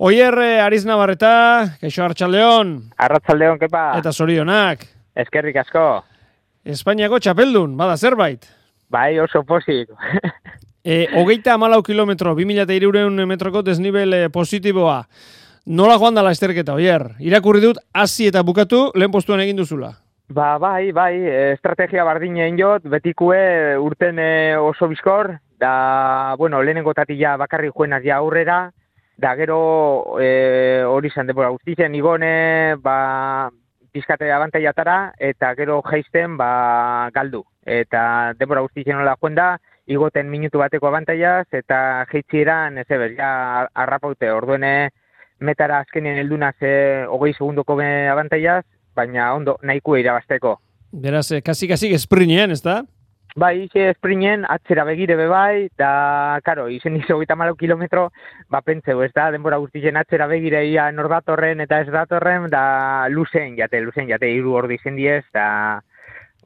Oier, Ariz Navarreta, kaixo Arratsaldeon. Arratsaldeon, kepa. Eta zorionak. Eskerrik asko. Espainiako txapeldun, bada zerbait. Bai, oso pozik. 34 kilometro, 2300 metroko desnibel positiboa. Nola joan da lasterketa, Oier? Irakurri dut, hasi eta bukatu, lehen postuan egin duzula. Bai, estrategia bardinen jot, betikue urten oso bizkor, da, lehenengo tatila bakarri juenaz ja aurrera, da gero hori izan denbora guztien igone, pizkate abantaiatara, eta gero jaisten galdu. Eta denbora guztien nola juen da, igoten minutu bateko abantaiaz, eta jeitzieran, ja arrapaute, orduene metara azkenien heldunaz 20 segundoko abantaiaz, baina ondo nahiko irabasteko. Beraz, kasi esprinien, ez da? Bai, esprinien, atzera begire bebai, da, karo, izen izo 34 kilometro, pentseu, ez da, denbora guztien atzera begire ia nordatorren eta ez datorren, da, luzen jate, 3 ordu izen diez, da,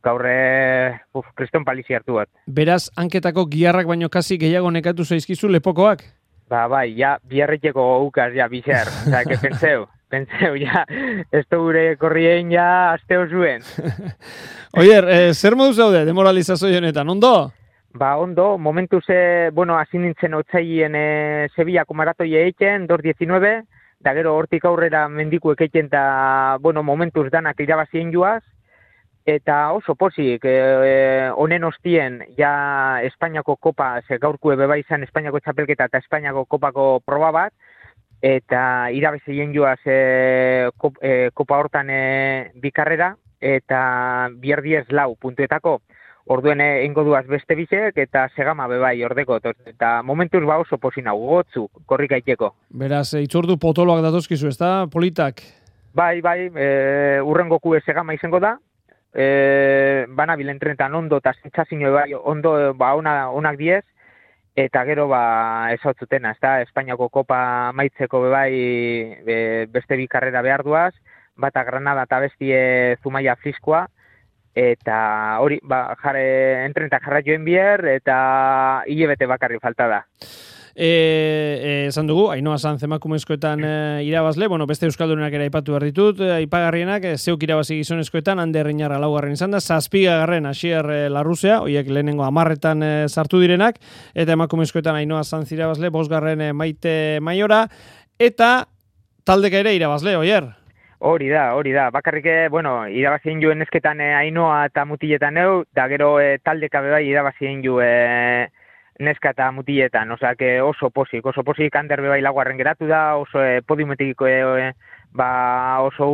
gaurre, kriston palizi hartu bat. Beraz, hanketako giharrak baino kasi gehiago nekatu zaizkizu lepokoak? Bai, ja, biarretxeko ukaz, ja, bizer, eta, pentseu, ja, ez da gure korrien, ja, azteo zuen. Oier, zer modu zaude, demoralizazio honetan, ondo? Ondo, momentuz, hasi nintzen otzaien Sevillako maratoi eiken, 2.19, da gero hortik aurrera mendikuek eiken, eta, momentuz danak irabazien joaz, eta oso pozik, honen ostien, ja Espainiako kopa, gaurkue beba izan Espainiako txapelketa eta Espainiako kopako proba bat, eta irabazien joaz kopa hortan bikarrera, eta bierdiez 4 puntuetako, orduen eingo duaz beste bizek, eta segama bebai ordeko, eta momentuz oso posina, gotzu, korrika iteko. Beraz, itzordu potoloak datozkizu, ez da, politak? Bai, urrengoku segama izango da, banabilen trenetan ondo eta zentzazio bai, ondo onak diez, eta gero ezautzutena, ez da, Espainiako kopa maitzeko bebai beste bi karrera behar duaz, bata Granada eta bestie Zumaia Friskoa, eta hori, entrenetan jarra joen bier, eta hilebete bakarri falta da. Esan dugu, Ainhoa Sanz emakumezkoetan irabazle, beste euskaldunenak ere aipatu behar ditut, aipagarrienak, zeuk irabazi gizonezkoetan, Ander Riñarra 4. izan da, 7. Asier Larruzea, horiek lehenengo 10 sartu direnak, eta emakumezkoetan Ainhoa Sanz irabazle, 5. Maite Maiora, eta taldeka ere irabazle, Oier? Hori da, bakarrik, irabazien joen esketan Ainhoa eta mutiletan eu, da gero taldeka bebai irabazien joen neska eta mutiletan, oso pozik, Ander bebai 4. geratu da, oso podiumetik oso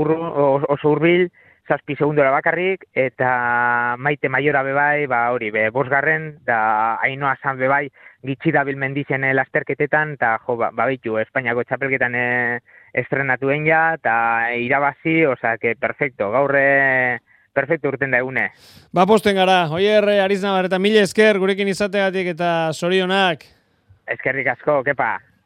urbil, 7 segundora bakarrik, eta Maite Maiora bebai, hori, 5. da Ainhoa Sanz bebai, gitxida bilmendizen lasterketetan, eta bitu, Espainiako txapelketan estrenatuen ja, eta irabazi, perfecto, gaurre perfecto urten da egune. Posten gara, Oier, Ariz Navarreta, mila esker gurekin izategatik eta zorionak. Eskerrik asko, kepa.